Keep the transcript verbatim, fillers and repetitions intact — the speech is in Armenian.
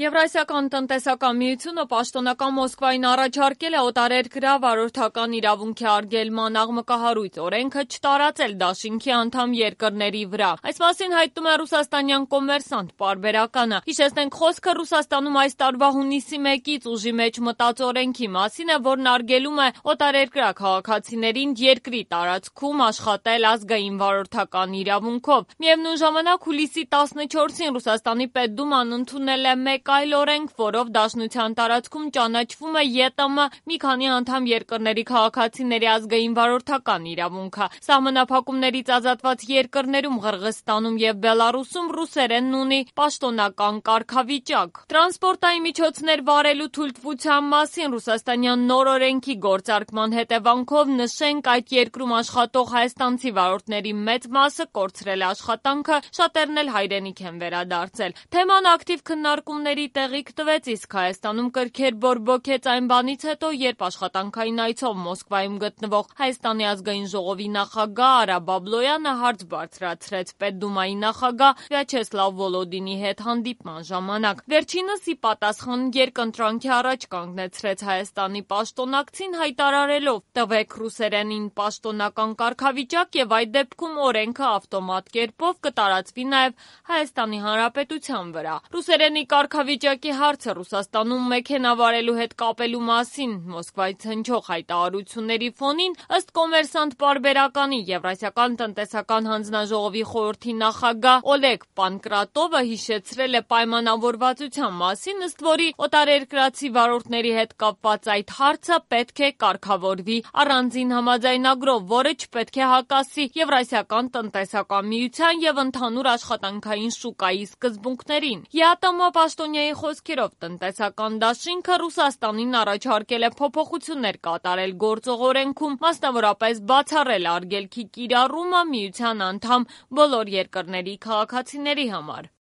Եվրասիական տնտեսական միությունը պաշտոնական Մոսկվային առաջարկել է օտարերկրյա վարորդական իրավունքի արգելման աղմկահարույց օրենքը չտարածել դաշինքի անդամ երկրների վրա։ Այս մասին հայտնում է ռուսաստանյան Կոմերսանտ պարբերականը։ Հիշեցնենք, խոսքը Ռուսաստանում այս տարվա հունիսի մեկից ուժի մեջ մտած օրենքի մասին է, որն արգելում է օտարերկրյա քաղաքացիներին երկրի տարածքում աշխատել ազգային վարորդական իրավունքով։ Միևնույն ժամանակ հուլիսի տասնչորսին Ռուսաստանի Պետդուման ընդունել է մեկ այլ օրենք, որով դաշնության տարածքում ճանաչվում է ԵՏՄ մի քանի անդամ երկրների քաղաքացիների ազգային վարորդական իրավունքը։ Սահմանափակումներից ազատված երկրներում Ղրղըզստանում եւ Բելառուսում ռուսերենն ունի պաշտոնական կարգավիճակ։ Տրանսպորտային միջոցներ վարելու թույլտվության մասին ռուսաստանյան նոր օրենքի գործարկման հետևանքով նշենք, այդ երկրում աշխատող հայաստանցի վարորդների մեծ մասը կորցրել է աշխատանքը, շատերն էլ հայրենիք են վերադարձել։ Թեման ակտիվ քննարկումների տեղիք տվեց, իսկ Հայաստանում կրքեր բորբոքեց այն բանից հետո, երբ աշխատանքային այցով Մոսկվայում գտնվող Հայաստանի ազգային ժողովի նախագահ Արա Բաբլոյանը հարց բարձրացրեց Պետդումայի նախագահ Վյաչեսլավ Վոլոդինի հետ հանդիպման ժամանակ։ Վերջինս ի պատասխան երկընտրանքի առաջ կանգնեցրեց Հայաստանի պաշտոնակցին, հայտարարելով՝ տվեք ռուսերենին պաշտոնական կարգավիճակ եւ այդ դեպքում օրենքը ավտոմատ կերպով կտարածվի նաեւ Հայաստանի Հանրապետության վրա։ Ռուսերենի կարգավիճակի հարցը Ռուսաստանում մեքենա վարելու հետ կապելու մասին Մոսկվայից հնչող հայտարարությունների ֆոնին ըստ Կոմերսանտ պարբերականի Եվրասիական տնտեսական հանձնաժողովի խորհրդի նախագահ Օլեգ Պանկրատովը հիշեցրել է պայմանավորվածության մասին, ըստ որի օտարերկրացի վարորդների հետ կապված այդ հարցը պետք է կարգավորվի առանձին համաձայնագրով, որը չպետք է հակասի Եվրասիական տնտեսական միության եւ ընդհանուր աշխատանքային շուկայի սկզբունքներին։ ԵԱՏՄ պաշտոնյայի խոսքերով տնտեսական դաշինքը Ռուսաստանին առաջարկել է փոփոխություններ կատարել գործող օրենքում, մասնավորապես բացառել արգելքի կիրառումը միության անդամ բոլոր երկրների քաղաքացիների համար։